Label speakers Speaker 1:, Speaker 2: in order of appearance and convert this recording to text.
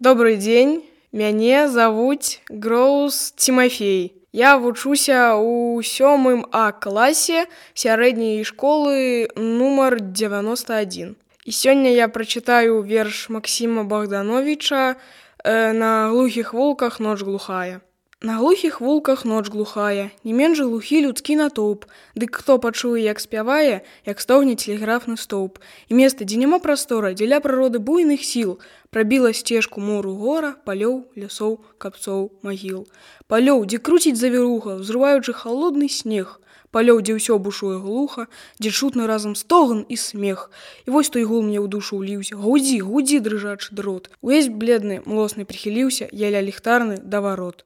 Speaker 1: Добрый дзень, мяне завуць Гроус Тимофей. Я вучуся ў 7 А класе сярэдняй школы нумар 91. І сёння я прачытаю верш Максіма Богдановича «На глухіх вулках ноч глухая». На глухіх вулках ноч глухая, не менш глухі людскі натоўп, дык хто пачуе, як спявае, як стогне тэлеграфны стоўп. І места, дзе няма прастора, дзеля прыроды буйных сіл, прабіла сцежку мору гора, палёў, лясоў, капцоў, магіл. Палёў, дзе круціць завіруха, взрываючы халодны снег. Палёў, дзе ўсё бушуе глуха, дзе чутны разам стогн і смех. І вось той гул мне ў душу ўліўся. Гудзі, гудзі, дрыжачы дрот. Увесь бледны, млосны прыхіліўся, я ля ліхтарны да варот.